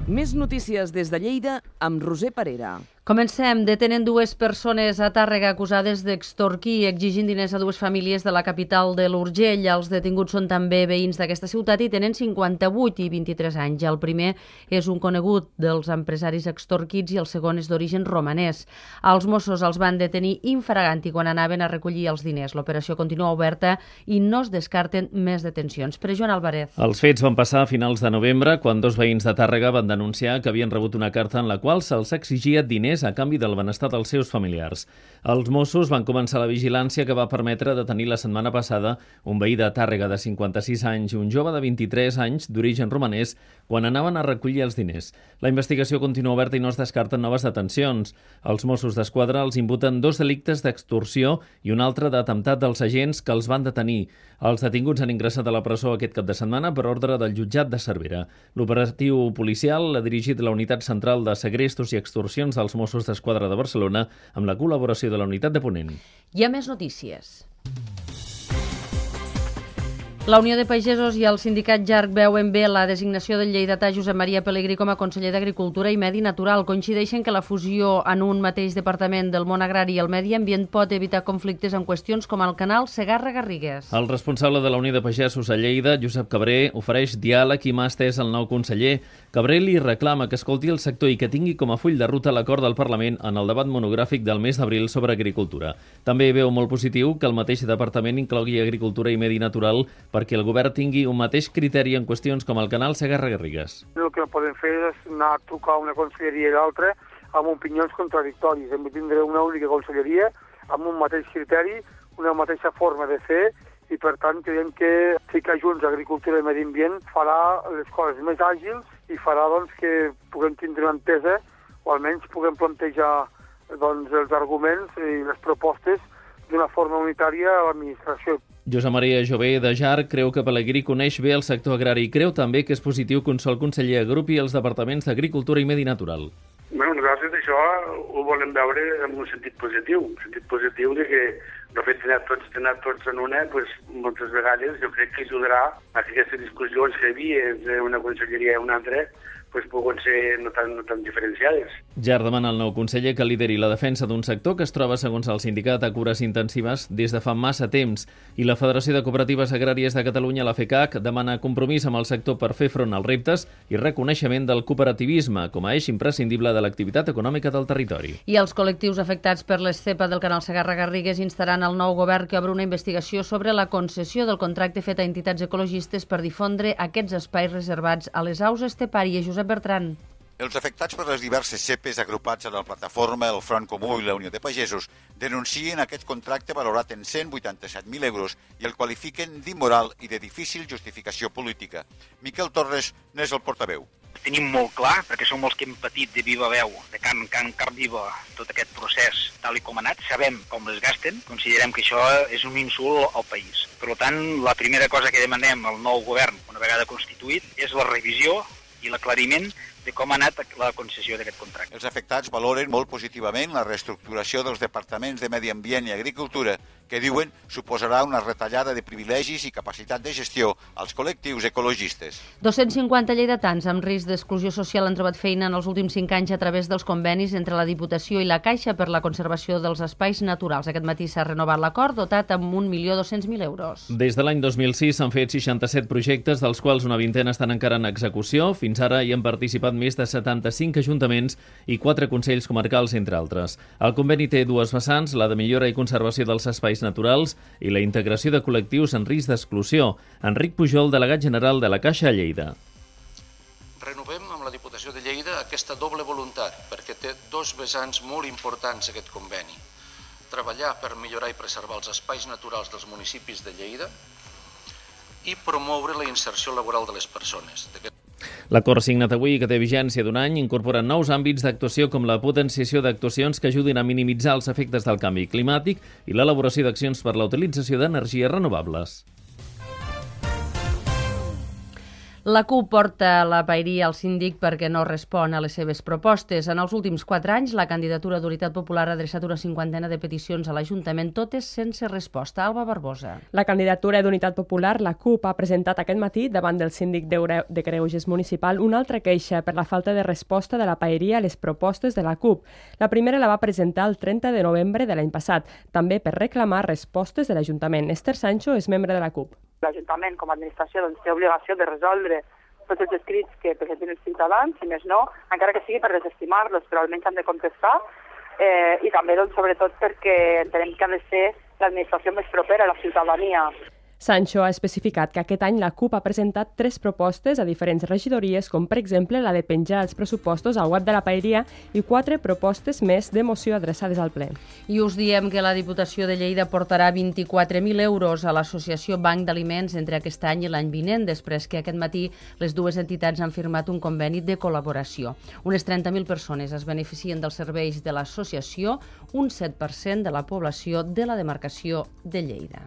Més notícies des de Lleida amb Roser Parera. Comencem. Detenen dues persones a Tàrrega acusades d'extorquir exigint diners a dues famílies de la capital de l'Urgell. Els detinguts són també veïns d'aquesta ciutat i tenen 58 i 23 anys. El primer és un conegut dels empresaris extorquits i el segon és d'origen romanès. Els Mossos els van detenir infraganti quan anaven a recollir els diners. L'operació continua oberta i no es descarten més detencions. Per Joan Álvarez. Els fets van passar a finals de novembre quan dos veïns de Tàrrega van denunciar que havien rebut una carta en la qual se'ls exigia diners a canvi del benestar dels seus familiars. Els Mossos van començar la vigilància que va permetre detenir la setmana passada un veí de Tàrrega de 56 anys i un jove de 23 anys d'origen romanès quan anaven a recollir els diners. La investigació continua oberta i no es descarten noves detencions. Els Mossos d'Esquadra els imputen 2 delictes d'extorsió i un altre d'atemptat dels agents que els van detenir. Els detinguts han ingressat a la presó aquest cap de setmana per ordre del jutjat de Cervera. L'operatiu policial l'ha dirigit la Unitat Central de Segrestos i Extorsions dels Mossos d'Esquadra de Barcelona amb la col·laboració de la Unitat de Ponent. Hi ha més notícies. La Unió de Pagesos i el sindicat JARC veuen bé la designació del lleidatà Josep Maria Pelegrí com a conseller d'Agricultura i Medi Natural. Coincideixen que la fusió en un mateix departament del món agrari i el medi ambient pot evitar conflictes en qüestions com el canal Segarra-Garrigues. El responsable de la Unió de Pagesos a Lleida, Josep Cabré, ofereix diàleg i mà estès al nou conseller. Cabré li reclama que escolti el sector i que tingui com a full de ruta l'acord del Parlament en el debat monogràfic del mes d'abril sobre agricultura. També veu molt positiu que el mateix departament inclogui agricultura i medi natural perquè el govern tingui un mateix criteri en qüestions com el canal Segarra-Garrigues. El que podem fer és anar a trucar una conselleria i l'altra amb opinions contradictòries. Hem de tindre una única conselleria amb un mateix criteri, una mateixa forma de fer i, per tant, creiem que ficar junts agricultura i medi ambient farà les coses més àgils i farà que puguem tindre una entesa o almenys puguem plantejar els arguments i les propostes d'una forma unitària a l'administració. Josep Maria Jové de JARC creu que Pelegrí coneix bé el sector agrari i creu també que és positiu que un sol conseller agrupi els departaments d'Agricultura i Medi Natural. Nosaltres això ho volem veure en un sentit positiu de que el fet d'anar tots en una, moltes vegades jo crec que ajudarà a que aquestes discussions que hi havia entre una conselleria i una altra poden ser no tan diferenciades. JARC demana al nou conseller que lideri la defensa d'un sector que es troba, segons el sindicat, a cures intensives des de fa massa temps i la Federació de Cooperatives Agràries de Catalunya, la FECAC, demana compromís amb el sector per fer front als reptes i reconeixement del cooperativisme com a eix imprescindible de l'activitat econòmica del territori. I els col·lectius afectats per l'estepa del canal Segarra-Garrigues instaran al nou govern que obre una investigació sobre la concessió del contracte fet a entitats ecologistes per difondre aquests espais reservats a les aus estepàries. Josep Bertran. Els afectats per les diverses cepes agrupats a la plataforma, el Front Comú i la Unió de Pagesos denuncien aquest contracte valorat en 187.000 euros i el qualifiquen d'immoral i de difícil justificació política. Miquel Torres n'és el portaveu. Tenim molt clar, perquè som els que hem patit de viva veu, de carn viva, tot aquest procés tal i com ha anat, sabem com es gasten, considerem que això és un insult al país. Per tant, la primera cosa que demanem al nou govern, una vegada constituït, és la revisió i l'aclariment de com ha anat la concessió d'aquest contracte. Els afectats valoren molt positivament la reestructuració dels departaments de Medi Ambient i Agricultura, que diuen suposarà una retallada de privilegis i capacitat de gestió als col·lectius ecologistes. 250 lleidatans amb risc d'exclusió social han trobat feina en els últims 5 anys a través dels convenis entre la Diputació i la Caixa per la conservació dels espais naturals. Aquest matí s'ha renovat l'acord, dotat amb 1.200.000 euros. Des de l'any 2006 s'han fet 67 projectes, dels quals una vintena estan encara en execució. Fins ara hi han participat més de 75 ajuntaments i 4 consells comarcals, entre altres. El conveni té dues vessants, la de millora i conservació dels espais naturals i la integració de col·lectius en risc d'exclusió. Enric Pujol, delegat general de la Caixa a Lleida. Renovem amb la Diputació de Lleida aquesta doble voluntat, perquè té dos vessants molt importants aquest conveni. Treballar per millorar i preservar els espais naturals dels municipis de Lleida i promoure la inserció laboral de les persones. L'acord signat avui, que té vigència d'un any, incorpora nous àmbits d'actuació com la potenciació d'actuacions que ajudin a minimitzar els efectes del canvi climàtic i l'elaboració d'accions per la utilització d'energies renovables. La CUP porta la paeria al síndic perquè no respon a les seves propostes. En els últims 4 anys, la candidatura d'Unitat Popular ha adreçat una 50ena de peticions a l'Ajuntament, totes sense resposta. Alba Barbosa. La candidatura d'Unitat Popular, la CUP, ha presentat aquest matí davant del síndic de Greuges municipal una altra queixa per la falta de resposta de la paeria a les propostes de la CUP. La primera la va presentar el 30 de novembre de l'any passat, també per reclamar respostes de l'Ajuntament. Esther Sancho és membre de la CUP. L'Ajuntament, com a administració, té obligació de resoldre tots els escrits que presenten els ciutadans, si més no, encara que sigui per desestimar-los, però almenys han de contestar, i també, sobretot, perquè entenem que ha de ser l'administració més propera a la ciutadania. Sancho ha especificat que aquest any la CUP ha presentat 3 propostes a diferents regidories, com per exemple la de penjar els pressupostos al web de la paeria i 4 propostes més de moció adreçades al ple. I us diem que la Diputació de Lleida portarà 24.000 euros a l'Associació Banc d'Aliments entre aquest any i l'any vinent, després que aquest matí les dues entitats han firmat un conveni de col·laboració. Unes 30.000 persones es beneficien dels serveis de l'associació, un 7% de la població de la demarcació de Lleida.